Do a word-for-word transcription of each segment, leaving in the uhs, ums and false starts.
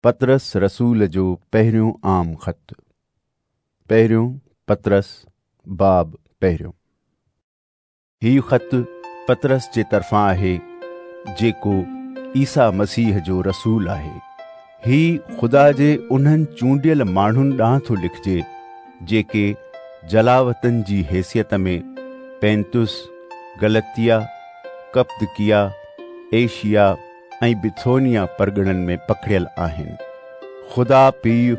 पतरस रसूल जो पहिरियों आम ख़त। पहिरियों पतरस बाब पहिरियों। हीउ ख़त पतरस जे तरफ़ां आहे जेको ईसा मसीह जो रसूल आहे। ही ख़ुदा जे उन्हनि चूंडियल माण्हुनि ॾांहुं थो लिखिजे जेके जलावतन जी हैसियत में पैंतुस, गलतिया, कप्पदकिया, एशिया ऐं बिथोनिया परगणनि में पखड़ियल आहिनि। ख़ुदा पीउ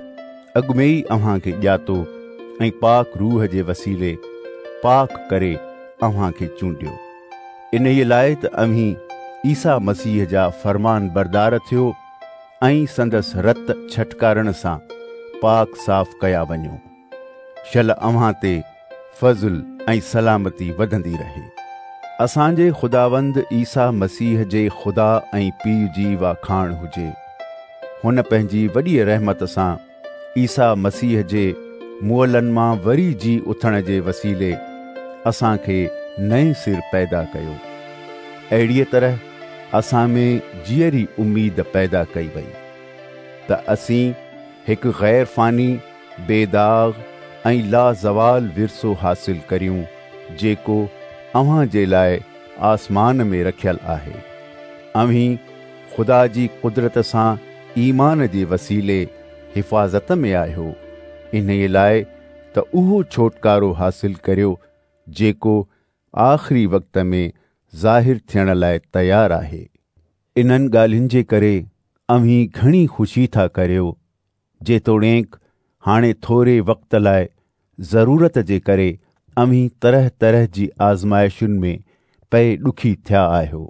अॻु में ई अव्हां खे ॼातो ऐं पाक रूह जे वसीले पाक करे अव्हां खे चूंडियो, इन्हीअ लाइ त अव्हीं ईसा मसीह जा फरमान बरदार थियो ऐं संदसि रत छटकारण सां पाक साफ़ कया वञो। शल अव्हां ते फ़ज़ुल ऐं सलामती वधंदी रहे। असांजे ख़ुदावंद ईसा मसीह जे ख़ुदा ऐं पीउ जी वाखाण हुजे। हुन पंहिंजी वॾी रहमत सां ईसा मसीह जे मुअलनि मां वरी जी उथण जे वसीले असांखे नए सिर पैदा कयो। अहिड़ीअ तरह असां में जीअरी उम्मीद पैदा कई वई त असीं हिकु ग़ैर फ़ानी, बेदाग़ ऐं लाज़वाल विरसो हासिल करियूं जेको अव्हां जे लाइ आसमान में रखियल आहे। अव्हीं ख़ुदा जी कुदरत सां ईमान जे वसीले हिफ़ाज़त में आहियो, इन्हीअ लाइ त उहो छोटकारो हासिल करियो जेको आख़िरी वक़्त में ज़ाहिर थियण लाइ तयारु आहे। इन्हनि ॻाल्हियुनि जे करे अव्हीं घणी ख़ुशी था करियो, जेतोणीकि हाणे थोरे वक़्त लाइ ज़रूरत जे करे अव्हीं तरह तरह जी आज़माइशुनि में पए ॾुखी थिया आहियो।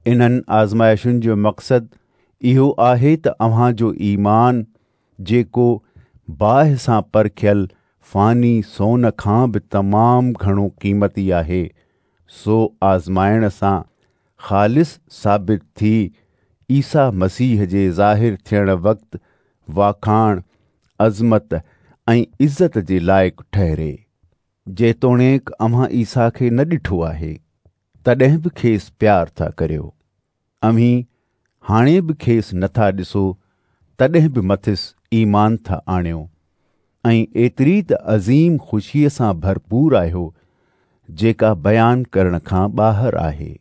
इन्हनि आज़माइशुनि जो मक़सदु इहो आहे त अव्हां जो ईमान, जेको बाहि सां परखियल फ़ानी सोन खां बि तमामु घणो क़ीमती आहे, सो आज़माइण सां ख़ालिस साबित थी ईसा मसीह जे ज़ाहिर थियण वक़्तु वाखाण, अज़मत ऐं इज़त जे लाइक़ ठहिरे। जेतोणीकि अव्हां ईसा खे न ॾिठो आहे, तॾहिं बि खेसि प्यार था करियो। अव्हीं हाणे बि खेसि नथा ॾिसो, तॾहिं बि मथिसि ईमान था आणियो ऐं एतिरी त अज़ीम ख़ुशीअ सां भरपूर आहियो जेका बयान करण खां ॿाहिरि आहे।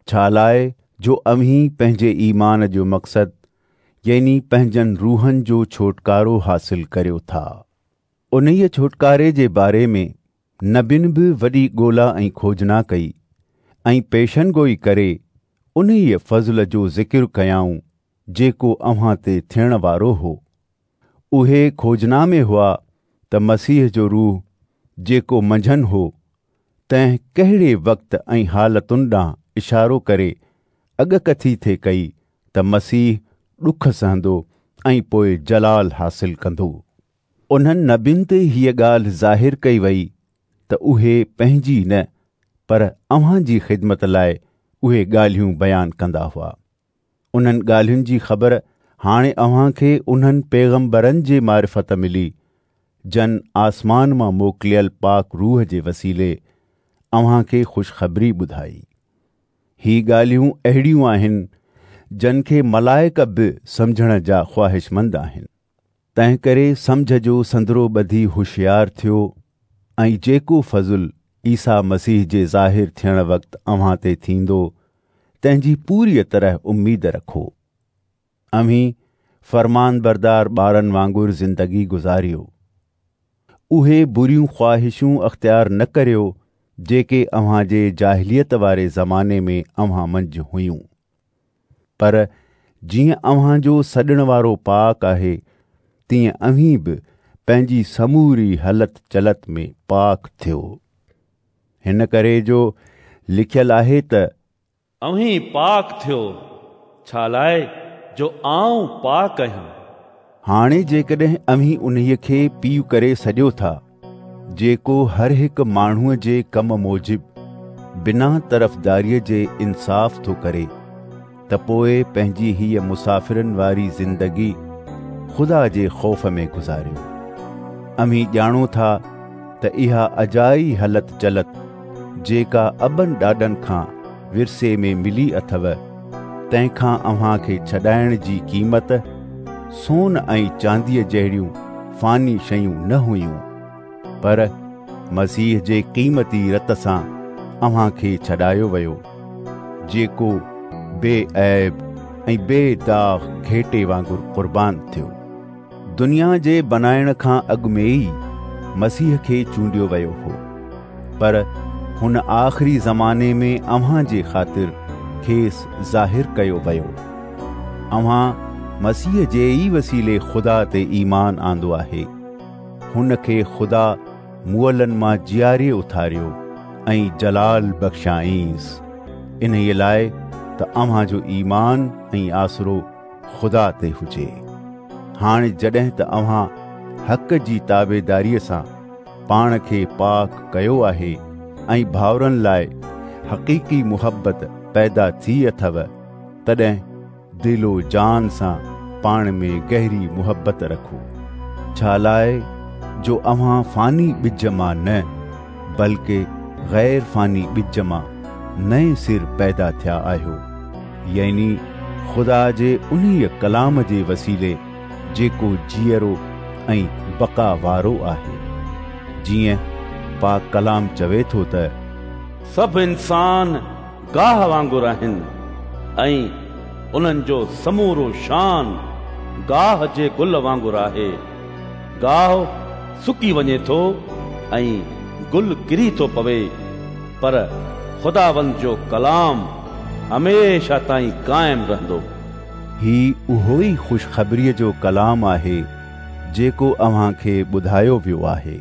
छा लाइ जो अव्हीं पंहिंजे ईमान जो मक़सदु यानी पंहिंजनि रूहनि जो छोटकारो हासिल करियो था। उन्हीअ छोटकारे जे बारे में नबियुनि बि वॾी ॻोल्हा ऐं खोजना कई ऐं पेशन गोई करे उन्हीअ फ़ज़ल जो ज़िक्र कयाऊं जेको अव्हां ते थियण वारो हो। उहे खोजना में हुआ त मसीह जो रूह जेको मंझनि हो, तंहिं कहिड़े वक़्त ऐं हालतुनि ॾांहुं इशारो करे अॻकथी थे कई त मसीह ॾुख सहंदो ऐं पोइ जलाल हासिल कंदो। उन्हनि नबियुनि ते हीअ ॻाल्हि ज़ाहिर कई वई त उहे पंहिंजी न पर अव्हां जी ख़िदमत लाइ उहे ॻाल्हियूं बयानु कंदा हुआ। उन्हनि ॻाल्हियुनि जी ख़बर हाणे अव्हां खे उन्हनि पैगम्बरनि जे मारिफ़त मिली जन आसमान मां मोकिलियल पाक रूह जे वसीले अव्हां खे ख़ुशख़बरी ॿुधाई। ही ॻाल्हियूं अहिड़ियूं आहिनि जन खे मलाइक बि सम्झण जा ख़्वाहिशमंद आहिनि। तंहिं करे सम्झ जो संदरो ॿधी होशियार थियो ऐं जेको फ़ज़ुल ईसा मसीह जे ज़ाहिर थियण वक़्तु अव्हां ते थींदो तंहिंजी पूरीअ तरह उम्मीद रखो। अव्हीं फरमान बरदार ॿारनि वांगुरु ज़िंदगी गुज़ारियो। उहे बुरियूं ख़्वाहिशूं अख़्तियार न करियो जेके अव्हां जे जाहिलियत वारे ज़माने में अव्हां मंझि हुयूं, पर जीअं अव्हां जो सॾण वारो पाक आहे तीअं अव्हीं बि पंहिंजी समूरी हलत चलत में पाक थियो। हिन करे जो लिखियल आहे त अव्हीं पाक थियो, छा लाइ जो आऊं पाक आहियां। हाणे जेकॾहिं अव्हीं उन्हीअ खे पीउ करे सॾियो था जेको हर हिकु माण्हूअ जे कम मूजिबि बिना तरफ़दारीअ जे इंसाफ़ थो करे, त पोइ पंहिंजी हीअ मुसाफ़िरनि वारी ज़िंदगी ख़ुदा जे ख़ौफ़ में गुज़ारियो। अव्हीं ॼाणो था त इहा अजाई हलत चलत जेका अबनि ॾाॾनि खां विरसे में मिली अथव, तंहिंखां अव्हां खे छॾाइण जी क़ीमत سون ۽ چانديء جهڙيون فاني شيون نه هيون، پر مسيح جي قيمتي رت سان اوهان کي ڇڏايو ويو، جيڪو بي عيب ۽ بي داغ گهيٽي وانگر قربان ٿيو. دنيا جي بنائڻ کان اڳ ۾ ئي مسيح کي چونڊيو ويو هو، پر هن آخري زماني ۾ اوهان جي خاطر کيس ظاهر ڪيو ويو. اوهان مسيح جي ئي وسيلي خدا تي ايمان آندو آهي. هن کي خدا مئلن مان جياري اٿاريو ۽ جلال بخشائينس، انهيءَ لاءِ ته اوهان جو ايمان ۽ آسرو خدا تي هجي. هاڻي جڏهن ته اوهان حق جي تابعداريءَ سان پاڻ کي پاڪ ڪيو آهي ۽ ڀائرن لاءِ حقيقي محبت پيدا ٿي اٿو، تڏهن دل و جان سان پاڻ ۾ گهري محبت رکو، ڇا لاءِ جو اوهان فاني ٻج مان نه بلڪه غير فاني ٻج مان نئين سر پيدا ٿيا آهيو، يعني خدا جي انهيءَ ڪلام جي وسيلي جيڪو جيئرو ۽ بقا وارو آهي. جيئن پاڪ ڪلام چوي ٿو ته سڀ انسان گاهه وانگر آهن ۽ انهن جو سمورو شان گاهه جي گل وانگر آهي. گاهه سڪي وڃي ٿو ۽ گل ڪري ٿو پوي، پر خداوند جو ڪلام هميشه تائين قائم رهندو. هي اهو ئي خوشخبريءَ جو ڪلام آهي جيڪو اوهان کي ٻڌايو ويو آهي.